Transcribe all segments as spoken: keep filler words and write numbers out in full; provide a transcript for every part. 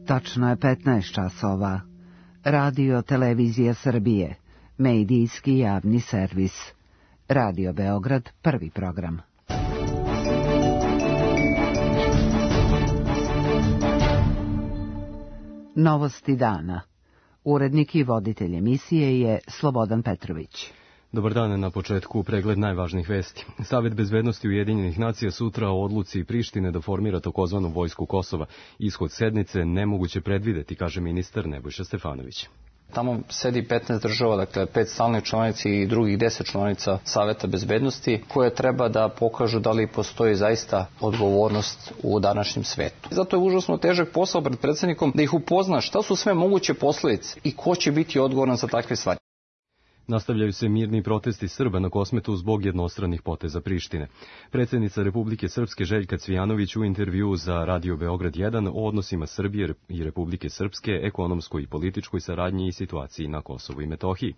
Tačno je petnaest časova. Radio Televizija Srbije, medijski javni servis. Radio Beograd, prvi program. Novosti dana. Urednik i voditelj emisije je Slobodan Petrović. Dobar dan, na početku pregled najvažnijih vesti. Savet bezbednosti Ujedinjenih nacija sutra o odluci Prištine da formira takozvanu vojsku Kosova. Ishod sednice nemoguće predvideti, kaže ministar Nebojša Stefanović. Tamo sedi petnaest država, dakle pet stalnih članica i drugih deset članica Saveta bezbednosti, koje treba da pokažu da li postoji zaista odgovornost u današnjem svetu. Zato je užasno težak posao pred predsjednikom da ih upozna šta su sve moguće posledice i ko će biti odgovoran za takve stvari. Nastavljaju se mirni protesti Srba na Kosmetu zbog jednostranih poteza Prištine. Predsjednica Republike Srpske Željka Cvijanović u intervjuu za Radio Beograd jedan o odnosima Srbije i Republike Srpske, ekonomskoj i političkoj saradnji i situaciji na Kosovu i Metohiji.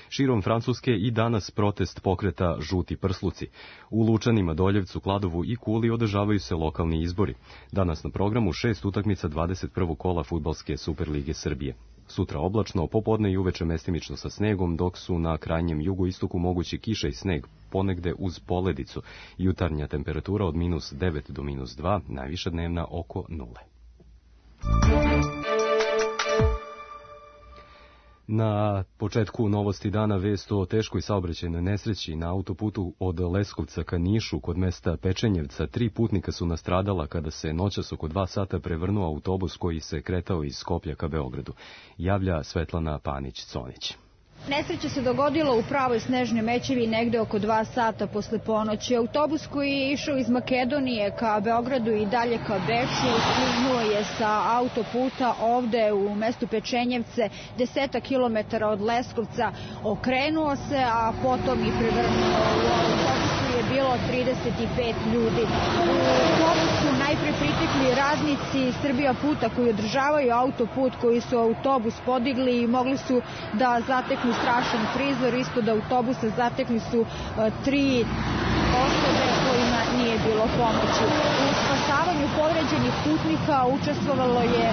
Širom Francuske i danas protest pokreta Žuti prsluci. U Lučanima, Doljevcu, Kladovu i Kuli održavaju se lokalni izbori. Danas na programu šest utakmica dvadeset prvog kola fudbalske Superlige Srbije. Sutra oblačno, popodne i uveče mestimično sa snegom, dok su na krajnjem jugoistoku mogući kiša i sneg, ponegde uz poledicu. Jutarnja temperatura od minus devet do minus dva, najviša dnevna oko nule. Na početku novosti dana vest o teškoj saobraćajnoj nesreći na autoputu od Leskovca ka Nišu kod mesta Pečenjevca. Tri putnika su nastradala kada se noćas oko dva sata prevrnuo autobus koji se kretao iz Skoplja ka Beogradu. Javlja Svetlana Panić-Conić. Nesreća se dogodila u pravoj snežnoj mećevi negde oko dva sata posle ponoći. Autobus koji je išao iz Makedonije ka Beogradu i dalje ka Beču sliznuo je sa autoputa ovde u mestu Pečenjevce, desetak kilometara od Leskovca, okrenuo se, a potom i prevrnuo. U autobusu je bilo trideset pet ljudi. U autobusu najpre pritekli radnici Srbija puta koji održavaju autoput, koji su autobus podigli i mogli su da zateknu strašan prizor. Ispod autobusa zatekli su uh, tri osobe kojima nije bilo pomoći. U spasavanju povređenih putnika učestvovalo je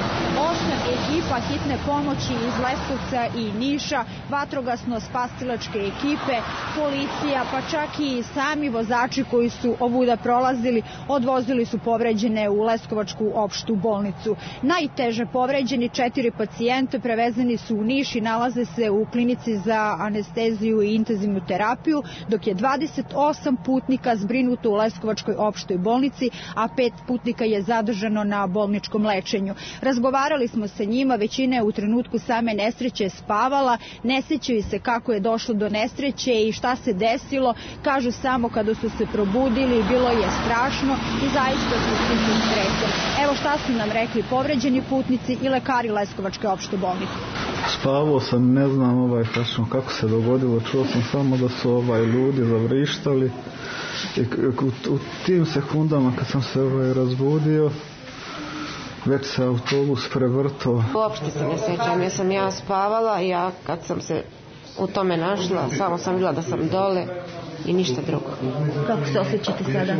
osam ekipa hitne pomoći iz Leskovca i Niša, vatrogasno-spasilačke ekipe, policija, pa čak i sami vozači koji su ovuda prolazili, odvozili su povređene u Leskovačku opštu bolnicu. Najteže povređeni četiri pacijente prevezeni su u Niš i nalaze se u klinici za anesteziju i intenzivnu terapiju, dok je dvadeset osam putnika zbrinuto u Leskovačkoj opštoj bolnici, a pet putnika je zadržano na bolničkom lečenju. Razgovarali smo sa njima, većina je u trenutku same nesreće spavala, ne sećaju se kako je došlo do nesreće i šta se desilo, kažu samo kada su se probudili, bilo je strašno i zaista su svi stresom. Evo šta su nam rekli povređeni putnici i lekari Leskovačke opšte bolnice. Spavao sam, ne znam ovaj, kako se dogodilo, čuo sam samo da su ovaj ljudi zavrištali i u, u tim sekundama kad sam se ovaj razbudio, već se autobus prevrtao. Uopšte se ne sjećam, jer sam ja spavala i ja kad sam se u tome našla, samo sam bila da sam dole i ništa drugo. Kako se osjećate sada?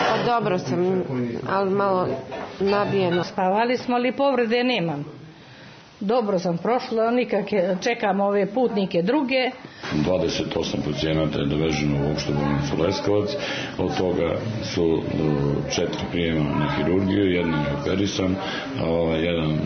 Pa dobro sam, ali malo nabijeno. Spavali smo, ali povrede nemam. Dobro sam prošla, nikakve, čekam ove putnike druge. dvadeset osam pacijenata je doveženo u opštu bolnicu Leskovac, od toga su četiri prijema na hirurgiju, jedan je operisan, jedan,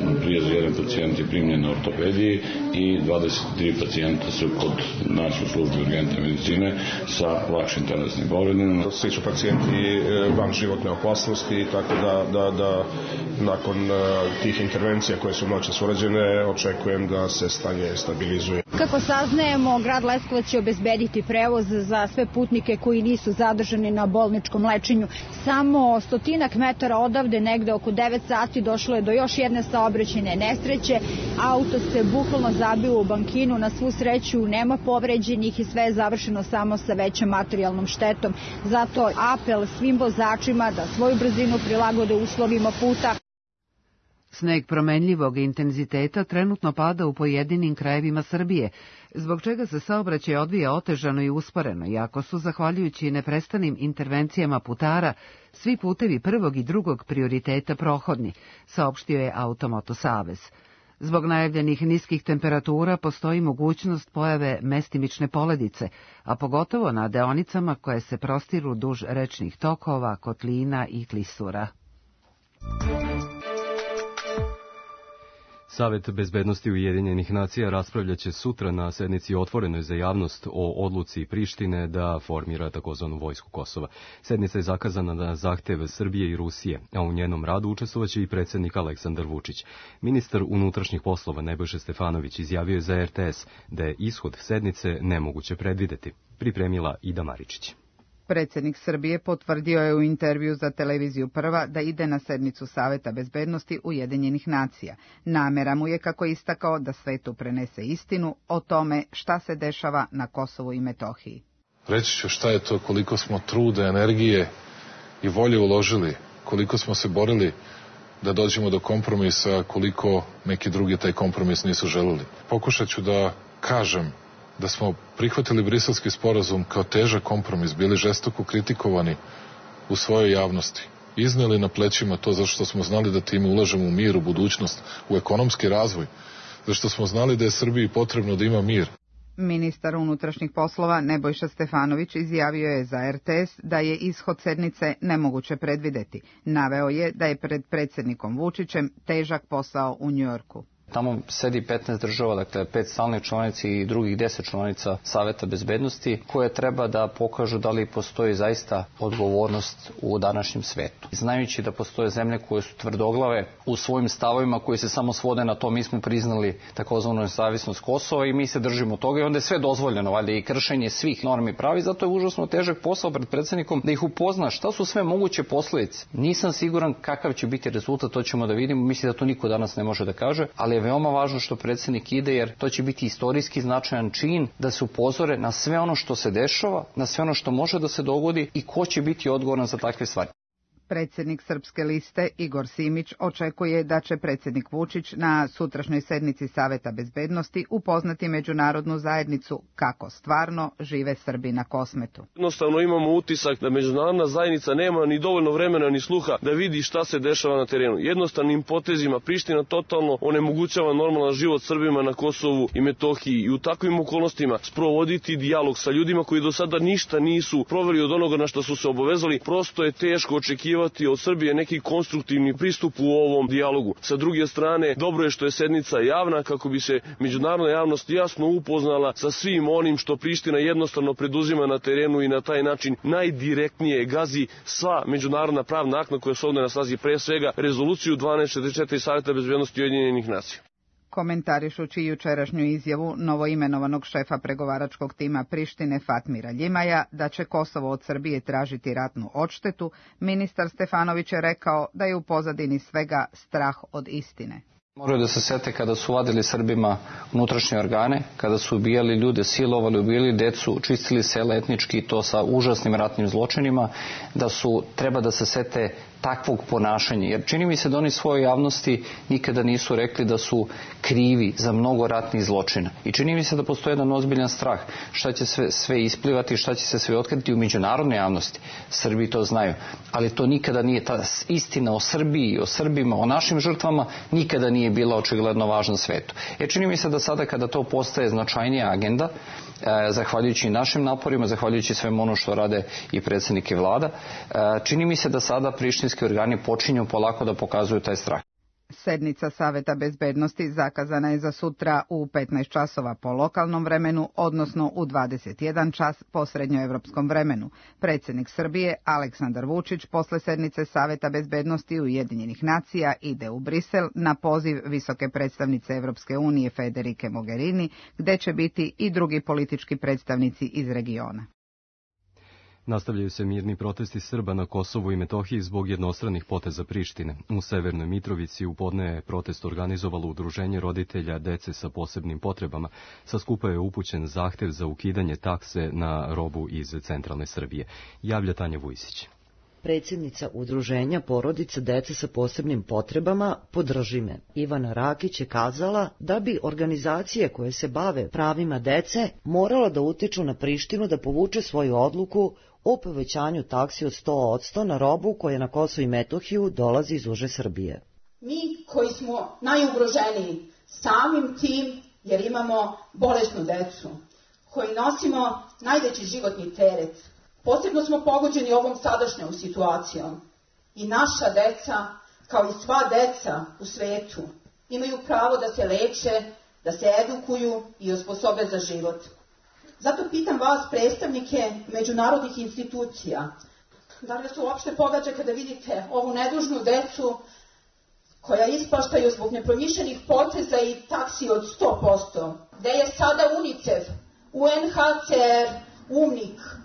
jedan pacijent je primljen na ortopediji i dvadeset tri pacijenta su kod nas u službi urgentne medicine sa lakšim telesnim povredama. Svi su pacijenti van životne opasnosti, tako da, da, da nakon tih intervencija koje su noćas urađene, očekujem da se stanje stabilizuje. Kako saznajemo, grad Leskovac će obezbediti prevoz za sve putnike koji nisu zadržani na bolničkom lečenju. Samo stotinak metara odavde, negde oko devet sati, došlo je do još jedne saobraćajne nesreće. Auto se bukvalno zabio u bankinu, na svu sreću nema povređenih i sve je završeno samo sa većom materijalnom štetom. Zato apel svim vozačima da svoju brzinu prilagode uslovima puta. Sneg promenljivog intenziteta trenutno pada u pojedinim krajevima Srbije, zbog čega se saobraćaj odvija otežano i usporeno, iako su, zahvaljujući neprestanim intervencijama putara, svi putevi prvog i drugog prioriteta prohodni, saopštio je Automoto savez. Zbog najavljenih niskih temperatura postoji mogućnost pojave mestimične poledice, a pogotovo na deonicama koje se prostiru duž rečnih tokova, kotlina i klisura. Savet bezbednosti Ujedinjenih nacija raspravljaće sutra na sednici otvorenoj za javnost o odluci Prištine da formira takozvanu vojsku Kosova. Sednica je zakazana na zahtev Srbije i Rusije, a u njenom radu učestvovaće i predsjednik Aleksandar Vučić. Ministar unutrašnjih poslova Nebojša Stefanović izjavio je za er te es da je ishod sednice nemoguće predvideti. Pripremila Ida Maričić. Predsjednik Srbije potvrdio je u intervju za televiziju Prva da ide na sednicu Saveta bezbednosti Ujedinjenih nacija. Namera mu je, kako istakao, da svetu prenese istinu o tome šta se dešava na Kosovu i Metohiji. Reći ću šta je to, koliko smo truda, energije i volje uložili, koliko smo se borili da dođemo do kompromisa, koliko neki drugi taj kompromis nisu želeli. Pokušat ću da kažem da smo prihvatili Briselski sporazum kao težak kompromis, bili žestoko kritikovani u svojoj javnosti. Izneli na plećima to zašto smo znali da time ulažemo u mir, u budućnost, u ekonomski razvoj, zašto smo znali da je Srbiji potrebno da ima mir. Ministar unutrašnjih poslova Nebojša Stefanović izjavio je za er te es da je ishod sednice nemoguće predvideti. Naveo je da je pred predsjednikom Vučićem težak posao u Njujorku. Tamo sedi petnaest država, dakle pet stalnih članica i drugih deset članica Saveta bezbednosti, koje treba da pokažu da li postoji zaista odgovornost u današnjem svetu. Znajući da postoje zemlje koje su tvrdoglave u svojim stavovima koji se samo svode na to, mi smo priznali takozvanu nezavisnost Kosova i mi se držimo toga i onda je sve dozvoljeno, valjda i kršenje svih normi i pravi, zato je užasno težak posao pred predsjednikom da ih upozna šta su sve moguće posljedice. Nisam siguran kakav će biti rezultat, to ćemo da vidimo, mislim da to niko danas ne može da kaže, ali je veoma važno što predsjednik ide, jer to će biti istorijski značajan čin da se upozore na sve ono što se dešava, na sve ono što može da se dogodi i ko će biti odgovoran za takve stvari. Predsjednik Srpske liste Igor Simić očekuje da će predsjednik Vučić na sutrašnjoj sednici Saveta bezbednosti upoznati međunarodnu zajednicu kako stvarno žive Srbi na Kosmetu. Jednostavno imamo utisak da međunarodna zajednica nema ni dovoljno vremena ni sluha da vidi šta se dešava na terenu. Jednostavnim potezima Priština totalno onemogućava normalan život Srbima na Kosovu i Metohiji i u takvim okolnostima sprovoditi dijalog sa ljudima koji do sada ništa nisu proveli od onoga na što su se obavezali. Prosto je teško očekivati od Srbije neki konstruktivni pristup u ovom dijalogu. Sa druge strane, dobro je što je sednica javna kako bi se međunarodna javnost jasno upoznala sa svim onim što Priština jednostavno preduzima na terenu i na taj način najdirektnije gazi sva međunarodna pravna akta koja se ovdje na snazi, pre svega rezoluciju dvanaest četrdeset četiri Saveta bezbednosti Ujedinjenih nacija. Komentarišući jučerašnju izjavu novoimenovanog šefa pregovaračkog tima Prištine Fatmira Ljimaja da će Kosovo od Srbije tražiti ratnu odštetu, ministar Stefanović je rekao da je u pozadini svega strah od istine. Moraju da se sete kada su vadili Srbima unutrašnje organe, kada su ubijali ljude, silovali, ubijali decu, čistili sela etnički, to sa užasnim ratnim zločinima, da su, treba da se sete takvog ponašanja. Jer čini mi se da oni svojoj javnosti nikada nisu rekli da su krivi za mnogo ratnih zločina. I čini mi se da postoji jedan ozbiljan strah šta će sve, sve isplivati, šta će se sve otkriti u međunarodnoj javnosti. Srbi to znaju. Ali to nikada nije, ta istina o Srbiji, o Srbima, o našim žrtvama, nikada nije bila očigledno važna svetu. E čini mi se da sada kada to postaje značajnija agenda, e, zahvaljujući našim naporima, zahvaljujući svemu ono što rade i predsjednik i vlada, e, čini mi se da sada prištinski organi počinju polako da pokazuju taj strah. Sednica Saveta bezbednosti zakazana je za sutra u petnaest časova po lokalnom vremenu, odnosno u dvadeset jedan čas po srednjoevropskom vremenu. Predsjednik Srbije Aleksandar Vučić posle sednice Saveta bezbednosti Ujedinjenih nacija ide u Brisel na poziv visoke predstavnice Evropske unije Federike Mogherini, gde će biti i drugi politički predstavnici iz regiona. Nastavljaju se mirni protesti Srba na Kosovu i Metohiji zbog jednostranih poteza Prištine. U Severnoj Mitrovici u podne je protest organizovalo udruženje roditelja dece sa posebnim potrebama. Sa skupa je upućen zahtev za ukidanje takse na robu iz centralne Srbije. Javlja Tanja Vujsić. Predsjednica udruženja porodica dece sa posebnim potrebama Podrži me, Ivana Rakić, je kazala da bi organizacije koje se bave pravima dece morala da utiču na Prištinu da povuče svoju odluku o povećanju taksi od sto posto na robu koja na Kosovo i Metohiju dolazi iz uže Srbije. Mi koji smo najugroženiji samim tim jer imamo bolesnu decu, koji nosimo najveći životni teret, posebno smo pogođeni ovom sadašnjom situacijom i naša deca, kao i sva deca u svetu, imaju pravo da se leče, da se edukuju i osposobe za život. Zato pitam vas, predstavnike međunarodnih institucija, da li vas uopšte pogađa kada vidite ovu nedužnu decu koja ispaštaju zbog nepromišljenih poteza i taksi od sto posto. Gde je sada UNICEF, U N H C R, U N I K?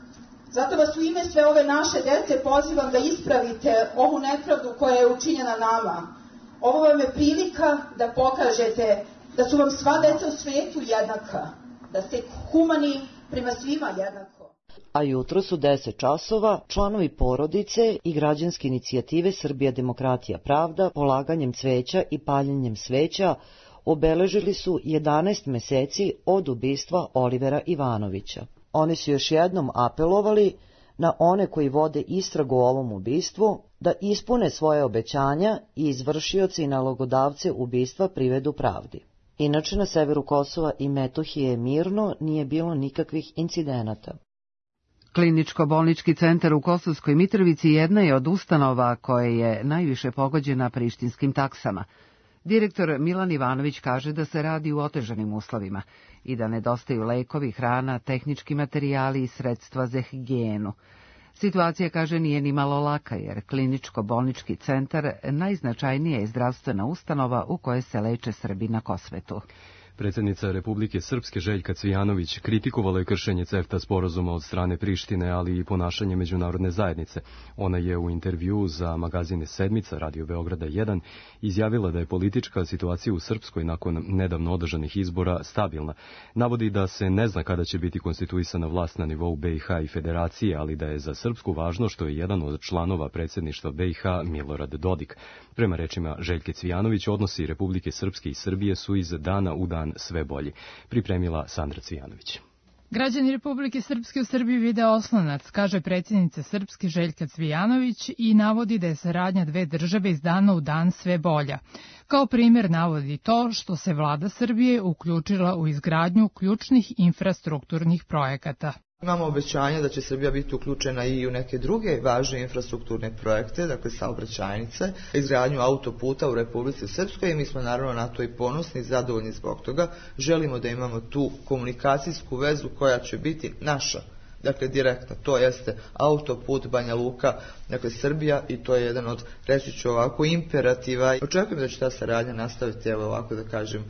Zato vas u ime sve ove naše dece pozivam da ispravite ovu nepravdu koja je učinjena nama. Ovo vam je prilika da pokažete da su vam sva deca u svetu jednaka, da ste humani prema svima jednako. A jutro su deset časova članovi porodice i građanske inicijative Srbija demokratija pravda polaganjem cveća i paljenjem sveća obeležili su jedanaest meseci od ubistva Olivera Ivanovića. Oni su još jednom apelovali na one koji vode istragu o ovom ubistvu da ispune svoje obećanja i izvršioci i nalogodavce ubistva privedu pravdi. Inače, na severu Kosova i Metohije mirno, nije bilo nikakvih incidenata. Kliničko-bolnički centar u Kosovskoj Mitrovici jedna je od ustanova koje je najviše pogođena prištinskim taksama. Direktor Milan Ivanović kaže da se radi u otežanim uslovima i da nedostaju lekovi, hrana, tehnički materijali i sredstva za higijenu. Situacija, kaže, nije ni malo laka, jer kliničko-bolnički centar najznačajnija je zdravstvena ustanova u kojoj se leče Srbi na Kosmetu. Predsjednica Republike Srpske Željka Cvijanović kritikovala je kršenje CEFTA sporazuma od strane Prištine, ali i ponašanje međunarodne zajednice. Ona je u intervjuu za magazine Sedmica, Radio Beograda jedan, izjavila da je politička situacija u Srpskoj nakon nedavno održanih izbora stabilna. Navodi da se ne zna kada će biti konstituisana vlast na nivou B i H i Federacije, ali da je za Srpsku važno što je jedan od članova predsjedništva B i H Milorad Dodik. Prema rečima Željke Cvijanović, odnosi Republike Srpske i Srbije su iz dana u dan sve bolji. Pripremila Sandra Cvijanović. Građani Republike Srpske u Srbiji vide oslonac, kaže predsjednica Srpske Željka Cvijanović i navodi da je saradnja dve države iz dana u dan sve bolja. Kao primjer navodi to što se vlada Srbije uključila u izgradnju ključnih infrastrukturnih projekata. Imamo obećanje da će Srbija biti uključena i u neke druge važne infrastrukturne projekte, dakle saobraćajnice, izgradnju autoputa u Republici Srpskoj i mi smo naravno na to i ponosni i zadovoljni zbog toga. Želimo da imamo tu komunikacijsku vezu koja će biti naša, dakle direktna, to jeste autoput Banja Luka, dakle Srbija, i to je jedan od, reći ću ovako, imperativa. Očekujem da će ta saradnja nastaviti, evo ovako da kažem,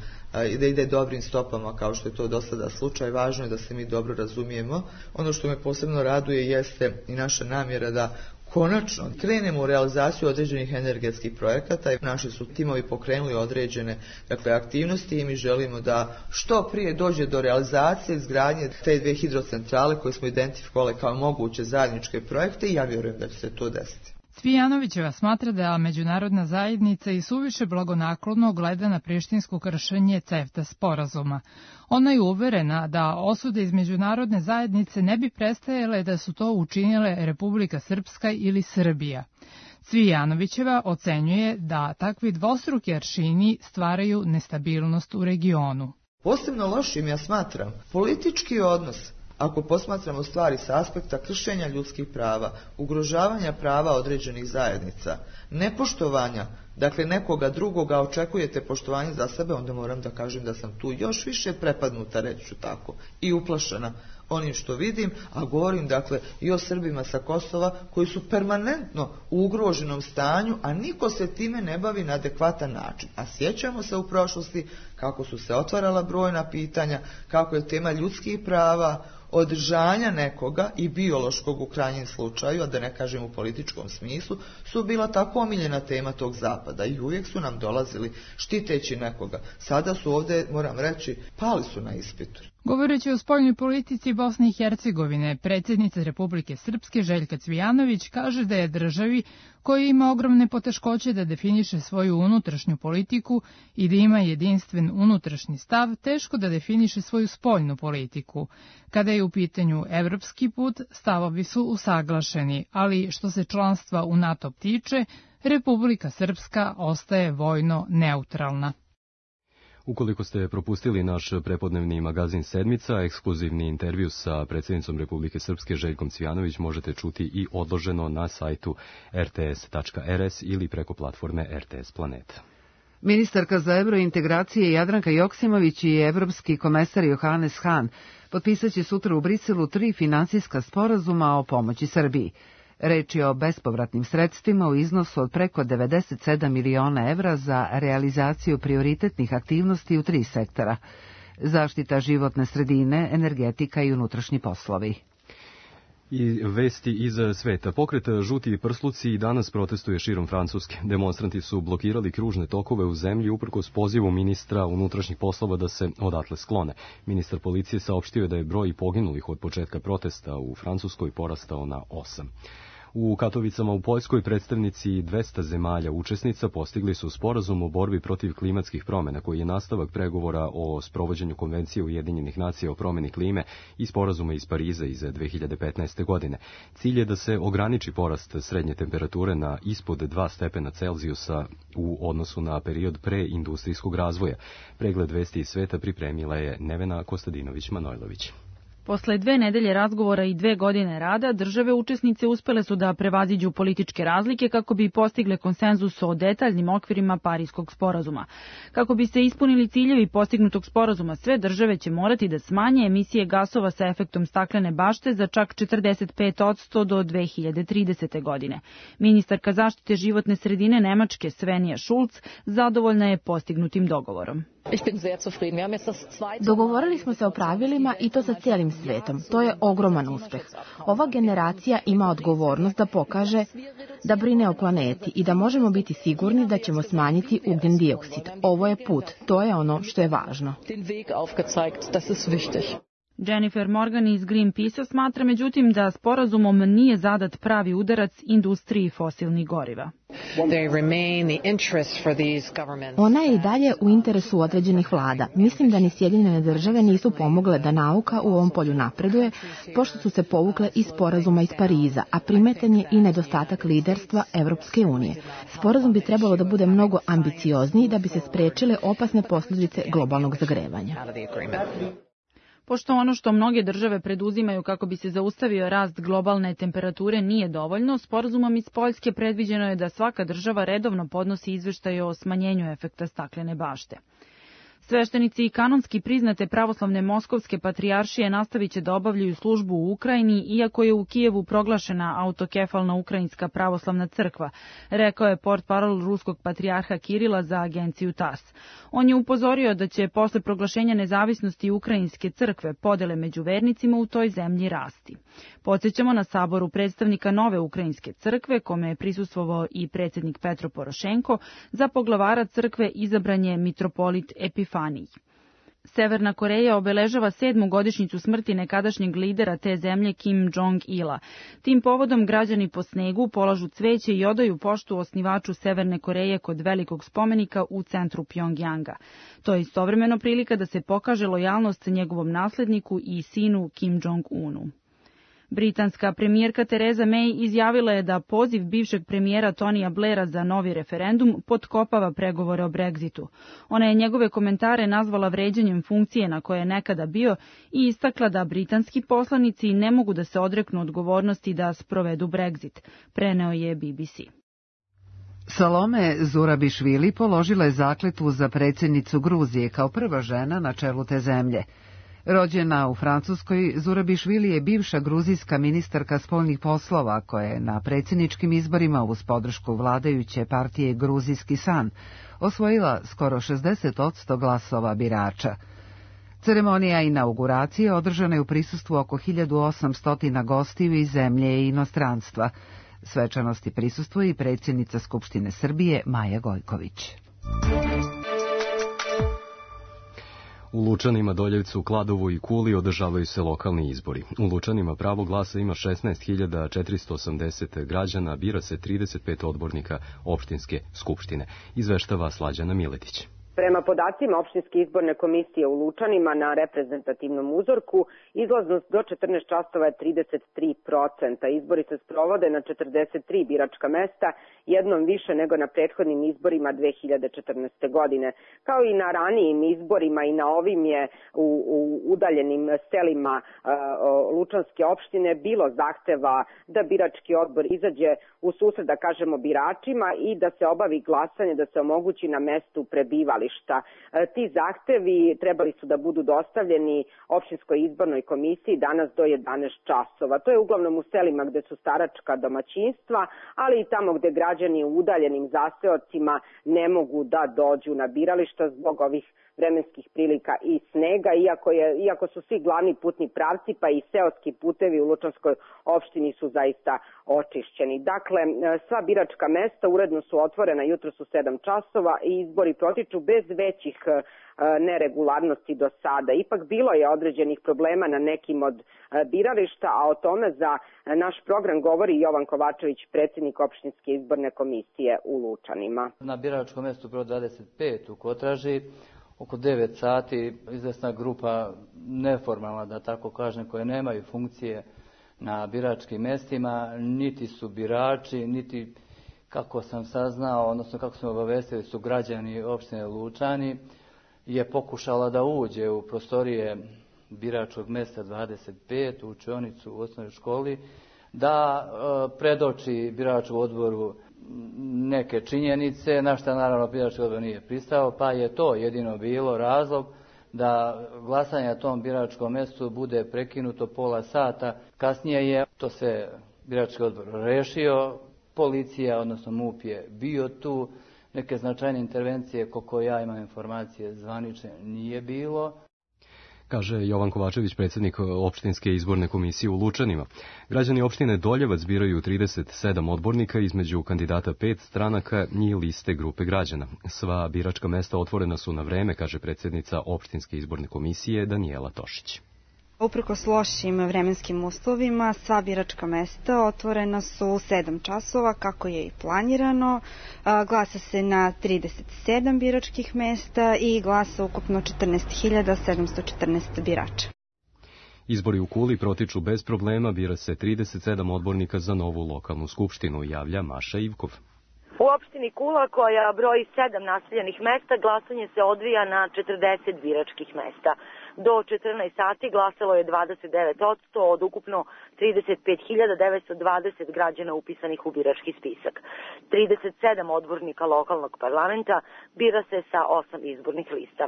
i da ide dobrim stopama kao što je to do sada slučaj. Važno je da se mi dobro razumijemo. Ono što me posebno raduje jeste i naša namjera da konačno krenemo u realizaciju određenih energetskih projekata i naši su timovi pokrenuli određene, dakle, aktivnosti i mi želimo da što prije dođe do realizacije izgradnje te dve hidrocentrale koje smo identifikovali kao moguće zajedničke projekte i ja vjerujem da će se to desiti. Cvijanovićeva smatra da međunarodna zajednica i suviše blagonaklono gleda na prištinsko kršenje CEFTA sporazuma. Ona je uverena da osude iz međunarodne zajednice ne bi prestajale da su to učinile Republika Srpska ili Srbija. Cvijanovićeva ocenjuje da takvi dvostruki aršini stvaraju nestabilnost u regionu. Posebno lošim ja smatram politički odnos. Ako posmatramo stvari sa aspekta kršenja ljudskih prava, ugrožavanja prava određenih zajednica, nepoštovanja, dakle nekoga drugoga očekujete poštovanje za sebe, onda moram da kažem da sam tu još više prepadnuta, reći ću tako, i uplašena onim što vidim, a govorim dakle i o Srbima sa Kosova koji su permanentno u ugroženom stanju, a niko se time ne bavi na adekvatan način. A sjećamo se u prošlosti kako su se otvarala brojna pitanja, kako je tema ljudskih prava, održanja nekoga i biološkog u krajnjem slučaju, a da ne kažem u političkom smislu, su bila tako omiljena tema tog zapada i uvijek su nam dolazili štiteći nekoga. Sada su ovdje, moram reći, pali su na ispitu. Govoreći o spoljnoj politici, Bosne i Hercegovine, predsjednica Republike Srpske Željka Cvijanović kaže da je državi koja ima ogromne poteškoće da definiše svoju unutrašnju politiku i da ima jedinstven unutrašnji stav, teško da definiše svoju spoljnu politiku. Kada je u pitanju evropski put, stavovi su usaglašeni, ali što se članstva u NATO tiče, Republika Srpska ostaje vojno neutralna. Ukoliko ste propustili naš prepodnevni magazin Sedmica, ekskluzivni intervju sa predsjednicom Republike Srpske Željkom Cvijanović možete čuti i odloženo na sajtu r t s tačka r s ili preko platforme R T S Planeta. Ministarka za eurointegracije Jadranka Joksimović i evropski komesar Johannes Hahn potpisat će sutra u Briselu tri finansijska sporazuma o pomoći Srbiji. Reč je o bespovratnim sredstvima u iznosu od preko devedeset sedam miliona evra za realizaciju prioritetnih aktivnosti u tri sektora: zaštita životne sredine, energetika i unutrašnji poslovi. I vesti iz sveta. Pokret Žuti prsluci i danas protestuje širom Francuske. Demonstranti su blokirali kružne tokove u zemlji uprkos pozivu ministra unutrašnjih poslova da se odatle sklone. Ministar policije saopštio je da je broj poginulih od početka protesta u Francuskoj porastao na osam. U Katovicama u Poljskoj predstavnici dvesta zemalja učesnica postigli su sporazum o borbi protiv klimatskih promjena, koji je nastavak pregovora o sprovođenju Konvencije Ujedinjenih nacija o promjeni klime i sporazuma iz Pariza iz dve hiljade petnaeste. godine. Cilj je da se ograniči porast srednje temperature na ispod dva stepena Celzijusa u odnosu na period preindustrijskog razvoja. Pregled vesti iz sveta pripremila je Nevena Kostadinović-Manojlović. Posle dve nedelje razgovora i dve godine rada, države učesnice uspele su da prevaziđu političke razlike kako bi postigle konsenzus o detaljnim okvirima Pariskog sporazuma. Kako bi se ispunili ciljevi postignutog sporazuma, sve države će morati da smanje emisije gasova sa efektom staklene bašte za čak četrdeset pet posto do dve hiljade tridesete. godine. Ministarka zaštite životne sredine Nemačke Svenja Schulz zadovoljna je postignutim dogovorom. Dogovorili smo se o pravilima i to sa cijelim svetom. To je ogroman uspeh. Ova generacija ima odgovornost da pokaže da brine o planeti i da možemo biti sigurni da ćemo smanjiti ugljen dioksid. Ovo je put. To je ono što je važno. Jennifer Morgan iz Greenpeace smatra međutim da sporazumom nije zadat pravi udarac industriji fosilnih goriva. Ona je i dalje u interesu određenih vlada. Mislim da ni Sjedinjene države nisu pomogle da nauka u ovom polju napreduje, pošto su se povukle iz sporazuma iz Pariza, a primetan je i nedostatak liderstva Evropske unije. Sporazum bi trebalo da bude mnogo ambiciozniji da bi se sprečile opasne posljedice globalnog zagrevanja. Pošto ono što mnoge države preduzimaju kako bi se zaustavio rast globalne temperature nije dovoljno, sporazumom iz Poljske predviđeno je da svaka država redovno podnosi izveštaje o smanjenju efekta staklene bašte. Sveštenici i kanonski priznate pravoslavne moskovske patrijaršije nastavit će da obavljaju službu u Ukrajini, iako je u Kijevu proglašena autokefalna ukrajinska pravoslavna crkva, rekao je portparol ruskog patrijarha Kirila za agenciju TASS. On je upozorio da će posle proglašenja nezavisnosti ukrajinske crkve podele među vernicima u toj zemlji rasti. Podsjećamo na saboru predstavnika nove ukrajinske crkve, kome je prisustvovao i predsjednik Petro Porošenko, za poglavara crkve izabran je mitropolit Epifanij. Severna Koreja obeležava sedmu godišnjicu smrti nekadašnjeg lidera te zemlje Kim Jong-ila. Tim povodom građani po snegu polažu cveće i odaju poštu osnivaču Severne Koreje kod velikog spomenika u centru Pjongjanga. To je istovremeno prilika da se pokaže lojalnost njegovom nasledniku i sinu Kim Jong-unu. Britanska premijerka Theresa May izjavila je da poziv bivšeg premijera Tonija Blaira za novi referendum potkopava pregovore o Brexitu. Ona je njegove komentare nazvala vređanjem funkcije na koje je nekada bio i istakla da britanski poslanici ne mogu da se odreknu odgovornosti da sprovedu Brexit, preneo je B B C. Salome Zurabišvili položila je zakletvu za predsjednicu Gruzije kao prva žena na čelu te zemlje. Rođena u Francuskoj, Zurabišvili je bivša gruzijska ministarka spoljnih poslova koja je na predsjedničkim izborima uz podršku vladajuće partije Gruzijski san osvojila skoro šezdeset posto glasova birača. Ceremonija inauguracije održana je u prisustvu oko hiljadu osamsto gostiju iz zemlje i inostranstva. Svečanosti prisustvuje i predsjednica Skupštine Srbije Maja Gojković. U Lučanima, Doljevcu, Kladovu i Kuli održavaju se lokalni izbori. U Lučanima pravo glasa ima šesnaest hiljada četiristo osamdeset građana, bira se trideset pet odbornika opštinske skupštine. Izveštava Slađana Miletić. Prema podacima opštinske izborne komisije u Lučanima na reprezentativnom uzorku, izlaznost do četrnaest časova je trideset tri procenta. Izbori se sprovode na četrdeset tri biračka mesta, jednom više nego na prethodnim izborima dve hiljade četrnaeste. godine. Kao i na ranijim izborima i na ovim je u, u udaljenim selima uh, Lučanske opštine bilo zahteva da birački odbor izađe u susret, da kažemo, biračima i da se obavi glasanje, da se omogući na mestu prebivališta. Ti zahtevi trebali su da budu dostavljeni opštinskoj izbornoj komisiji danas do jedanaest časova. To je uglavnom u selima gde su staračka domaćinstva, ali i tamo gde građani u udaljenim zaseocima ne mogu da dođu na birališta zbog ovih vremenskih prilika i snega, iako, je, iako su svi glavni putni pravci, pa i seoski putevi u Lučanskoj opštini su zaista očišćeni. Dakle, sva biračka mesta uredno su otvorena jutros u sedam časova i izbori protiču bez većih neregularnosti do sada. Ipak bilo je određenih problema na nekim od birališta, a o tome za naš program govori Jovan Kovačević, predsjednik opštinske izborne komisije u Lučanima. Na biračkom mestu broj dvadeset pet u Kotraži oko devet sati izvesna grupa neformalna, da tako kažem, koje nemaju funkcije na biračkim mestima, niti su birači, niti, kako sam saznao, odnosno kako smo obavestili, su građani opštine Lučani, je pokušala da uđe u prostorije biračkog mesta dvadeset pet, u učionicu u osnovnoj školi, da e, predoči biračkom odboru neke činjenice, na što naravno birački odbor nije pristao, pa je to jedino bilo razlog da glasanje na tom biračkom mjestu bude prekinuto pola sata. Kasnije je to sve birački odbor rešio, policija, odnosno MUP je bio tu, neke značajne intervencije, koliko ja imam informacije zvanične, nije bilo. Kaže Jovan Kovačević, predsjednik opštinske izborne komisije u Lučanima. Građani opštine Doljevac biraju trideset sedam odbornika između kandidata pet stranaka i liste grupe građana. Sva biračka mesta otvorena su na vreme, kaže predsjednica opštinske izborne komisije Danijela Tošić. Uprkos lošim vremenskim uslovima, sva biračka mesta otvorena su u sedam časova, kako je i planirano. Glasa se na trideset sedam biračkih mesta i glasa ukupno četrnaest hiljada sedamsto četrnaest birača. Izbori u Kuli protiču bez problema, bira se trideset sedam odbornika za novu lokalnu skupštinu, javlja Maša Ivkov. U opštini Kula, koja broji sedam naseljenih mesta, glasanje se odvija na četrdeset biračkih mesta. Do četrnaest sati glasalo je dvadeset devet posto od ukupno trideset pet hiljada devetsto dvadeset građana upisanih u birački spisak. trideset sedam odbornika lokalnog parlamenta bira se sa osam izbornih lista.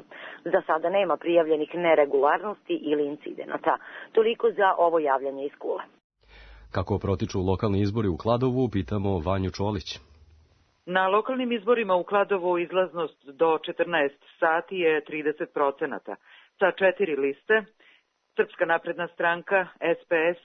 Za sada nema prijavljenih neregularnosti ili incidenata. Toliko za ovo javljanje iz Kule. Kako protiču lokalni izbori u Kladovu, pitamo Vanju Čolić. Na lokalnim izborima u Kladovu izlaznost do četrnaest sati je trideset procenata. Sa četiri liste, Srpska napredna stranka, S P S,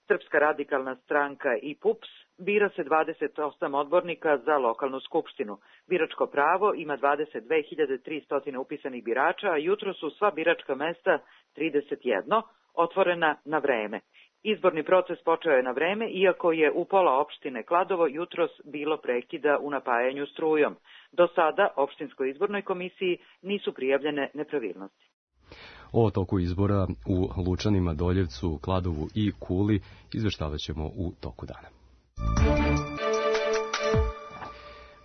Srpska radikalna stranka i P U P S, bira se dvadeset osam odbornika za lokalnu skupštinu. Biračko pravo ima dvadeset dve hiljade tristo upisanih birača, a jutro su sva biračka mesta trideset jedan otvorena na vreme. Izborni proces počeo je na vreme, iako je u pola opštine Kladovo jutros bilo prekida u napajanju strujom. Do sada opštinskoj izbornoj komisiji nisu prijavljene nepravilnosti. O toku izbora u Lučanima, Doljevcu, Kladovu i Kuli izveštavat ćemo u toku dana.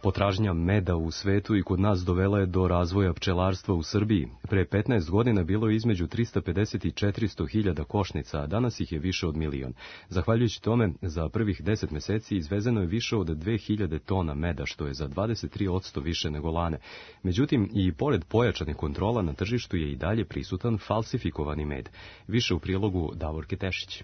Potražnja meda u svetu i kod nas dovela je do razvoja pčelarstva u Srbiji. Pre petnaest godina bilo je između trista pedeset i četiristo hiljada košnica, a danas ih je više od milion. Zahvaljujući tome, za prvih deset meseci izvezeno je više od dve hiljade tona meda, što je za dvadeset tri posto više nego lane. Međutim, i pored pojačane kontrola na tržištu je i dalje prisutan falsifikovani med. Više u prilogu Davorke Tešić.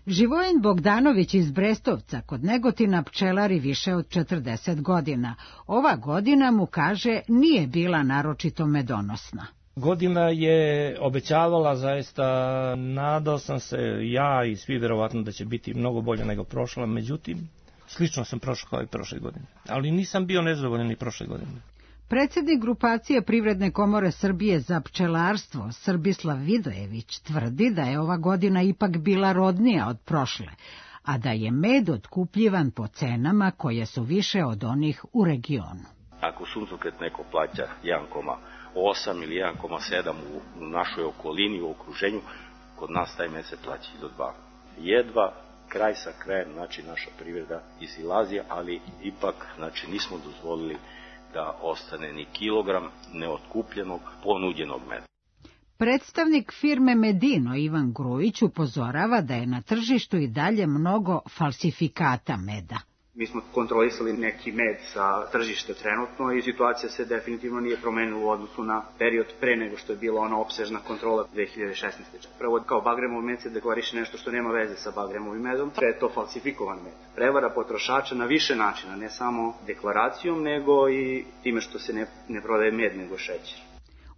Živojin Bogdanović iz Brestovca kod Negotina pčelari više od četrdeset godina. Ova godina mu, kaže, nije bila naročito medonosna. Godina je obećavala zaista, nadao sam se ja i svi vjerovatno da će biti mnogo bolje nego prošla, međutim, slično sam prošao kao i prošle godine. Ali nisam bio nezadovoljan ni prošle godine. Predsjednik grupacije Privredne komore Srbije za pčelarstvo Srbislav Vidojević tvrdi da je ova godina ipak bila rodnija od prošle, a da je med otkupljivan po cenama koje su više od onih u regionu. Ako suncokret neko plaća jedan zarez osam ili jedan zarez sedam u našoj okolini, u okruženju, kod nas taj mesec plaća do dva. Jedva kraj sa krajem, znači naša privreda izlazi, ali ipak znači, nismo dozvolili da ostane ni kilogram neotkupljenog ponuđenog meda. Predstavnik firme Medino Ivan Grujić upozorava da je na tržištu i dalje mnogo falsifikata meda. Mi smo kontrolisali neki med sa tržišta trenutno i situacija se definitivno nije promenila u odnosu na period pre nego što je bila ona opsežna kontrola dve hiljade šesnaeste. Prvo, kao bagremov med se deklariše nešto što nema veze sa bagremovim medom, da je to falsifikovan med. Prevara potrošača na više načina, ne samo deklaracijom, nego i time što se ne, ne prodaje med, nego šećer.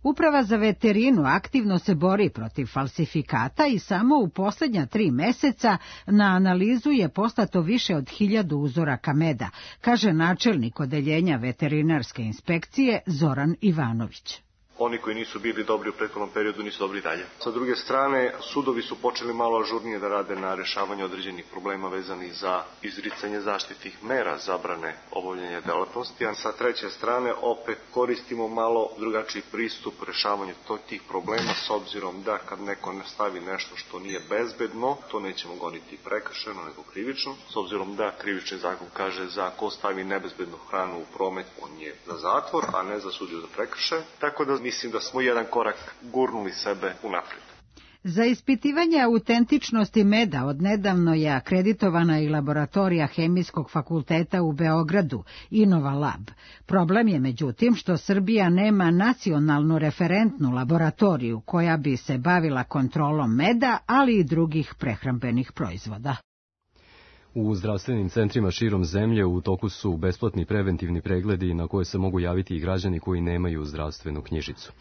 Uprava za veterinu aktivno se bori protiv falsifikata i samo u posljednja tri meseca na analizu je poslato više od hiljadu uzoraka meda, kaže načelnik odeljenja veterinarske inspekcije Zoran Ivanović. Oni koji nisu bili dobri u prethodnom periodu nisu dobri dalje. Sa druge strane, sudovi su počeli malo ažurnije da rade na rešavanju određenih problema vezanih za izricanje zaštitnih mera zabrane obavljanja delatnosti, a sa treće strane opet koristimo malo drugačiji pristup rešavanju tih problema s obzirom da kad neko ne stavi nešto što nije bezbedno, to nećemo goniti prekršajno nego krivično, s obzirom da krivični zakon kaže za ko stavi nebezbednu hranu u promet, on je za zatvor, a ne za sudiju za prekršaj. Tako da mislim da smo jedan korak gurnuli sebe unaprijed. Za ispitivanje autentičnosti meda odnedavno je akreditovana i laboratorija Hemijskog fakulteta u Beogradu, Innova Lab. Problem je međutim što Srbija nema nacionalnu referentnu laboratoriju koja bi se bavila kontrolom meda, ali i drugih prehrambenih proizvoda. U zdravstvenim centrima širom zemlje u toku su besplatni preventivni pregledi na koje se mogu javiti i građani koji nemaju zdravstvenu knjižicu.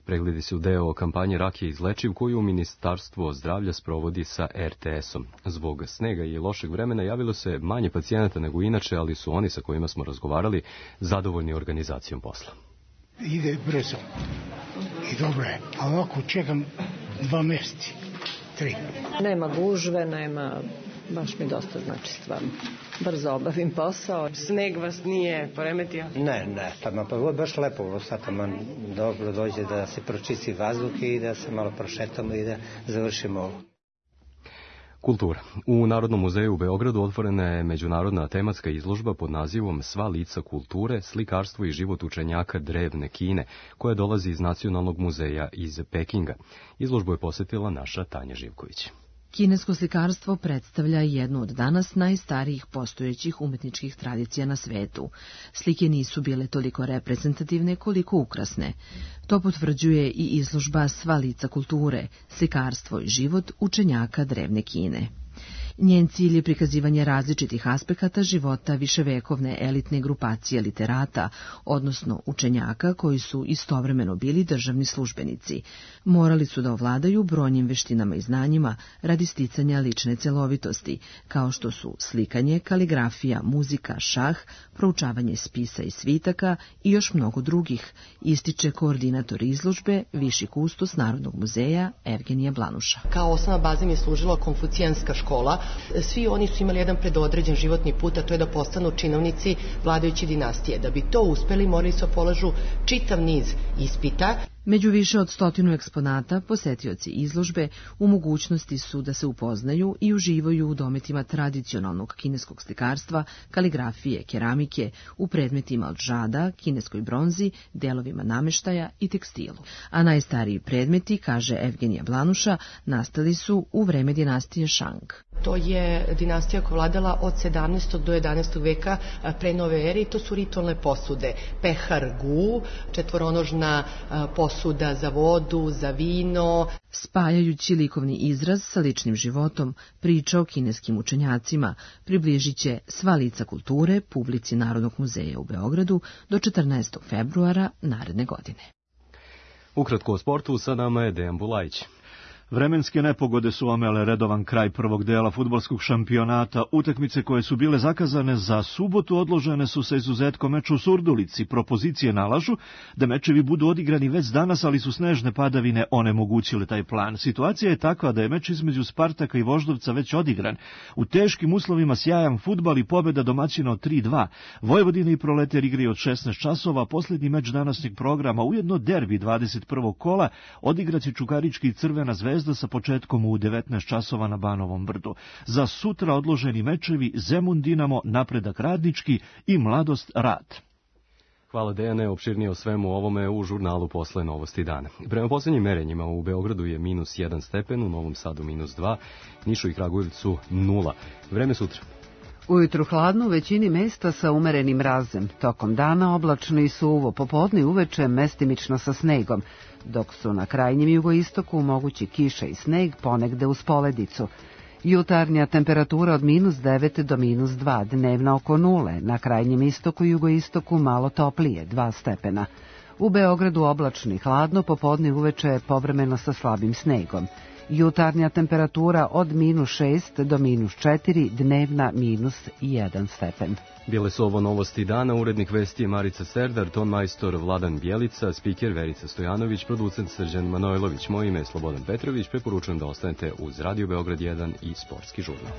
Pregledi su deo kampanje Rak je izlečiv koju Ministarstvo zdravlja sprovodi sa er te esom. Zbog snega i lošeg vremena javilo se manje pacijenata nego inače, ali su oni sa kojima smo razgovarali zadovoljni organizacijom posla. Ide brzo i dobro je, a ovako čekam dva mjeseci, tri. Nema gužve, nema... Baš mi dosta znači stvarno. Brzo obavim posao. Sneg vas nije poremetio? Ne, ne. Pa, pa baš lepo. Sad man dobro dođe da se pročisti vazduh i da se malo prošetamo i da završimo ovo. Kultura. U Narodnom muzeju u Beogradu otvorena je međunarodna tematska izložba pod nazivom Sva lica kulture, slikarstvo i život učenjaka drevne Kine, koja dolazi iz Nacionalnog muzeja iz Pekinga. Izložbu je posjetila naša Tanja Živković. Kinesko slikarstvo predstavlja jednu od danas najstarijih postojećih umetničkih tradicija na svetu. Slike nisu bile toliko reprezentativne koliko ukrasne. To potvrđuje i izložba Sva lica kulture, slikarstvo i život učenjaka drevne Kine. Njen cilj je prikazivanje različitih aspekata života viševekovne elitne grupacije literata, odnosno učenjaka koji su istovremeno bili državni službenici. Morali su da ovladaju brojnim veštinama i znanjima radi sticanja lične celovitosti, kao što su slikanje, kaligrafija, muzika, šah, proučavanje spisa i svitaka i još mnogo drugih, ističe koordinator izložbe, viši kustos Narodnog muzeja Evgenija Blanuša. Kao osnovna baza mi je služila konfucijanska škola. Svi oni su imali jedan predodređen životni put, a to je da postanu činovnici vladajuće dinastije. Da bi to uspeli, morali su polažu čitav niz ispita. Među više od stotinu eksponata posetioci izložbe u mogućnosti su da se upoznaju i uživaju u dometima tradicionalnog kineskog slikarstva, kaligrafije, keramike, u predmetima od žada, kineskoj bronzi, delovima nameštaja i tekstilu. A najstariji predmeti, kaže Evgenija Blanuša, nastali su u vreme dinastije Shang. To je dinastija koja vladala od sedamnaestog do jedanaestog veka pre nove ere i to su ritualne posude. Pehar gu, četvoronožna posuda za vodu, za vino. Spajajući likovni izraz sa ličnim životom, priča o kineskim učenjacima približit će Sva lica kulture publici Narodnog muzeja u Beogradu do četrnaestog februara naredne godine. Ukratko o sportu, sa nama je Dejan Bulajić. Vremenske nepogode su omele redovan kraj prvog dela fudbalskog šampionata. Utakmice koje su bile zakazane za subotu odložene su sa izuzetkom meča u Surdulici. Propozicije nalažu da mečevi budu odigrani već danas, ali su snežne padavine onemogućile taj plan. Situacija je takva da je meč između Spartaka i Voždovca već odigran. U teškim uslovima sjajan fudbal i pobjeda domaćina od tri dva. Vojvodina i Proletar igraju od šesnaest časova, posljednji meč današnjeg programa, ujedno derbi dvadeset prvog kola, odigraće Čukarički i Crvena zvezda sa početkom u devetnaest časova na Banovom brdu. Za sutra odloženi mečevi Zemun Dinamo, Napredak Radnički i Mladost Rad. Hvala Dejane, opširnije o svemu ovome u žurnalu Posle novosti dana. Prema posljednjim merenjima u Beogradu je minus jedan stepen, u Novom Sadu minus dva, Nišu i Kragujevcu nula. Vreme sutra. Ujutru hladno u većini mesta sa umerenim mrazem. Tokom dana oblačno i suvo, popodne i uveče mestimično sa snegom, dok su na krajnjem jugoistoku mogući kiša i sneg, ponegde uz poledicu. Jutarnja temperatura od minus devet do minus dva, dnevna oko nule, na krajnjem istoku i jugoistoku malo toplije, dva stepena. U Beogradu oblačno i hladno, popodne i uveče povremeno sa slabim snegom. Jutarnja temperatura od minus šest do minus četiri, dnevna minus jedan stepen. Bile su ovo novosti dana, urednik vesti je Marica Serdar, ton majstor Vladan Bjelica, spiker Verica Stojanović, producent Srđan Manojlović. Moje ime je Slobodan Petrović, preporučujem da ostanete uz Radio Beograd jedan i Sportski žurnal.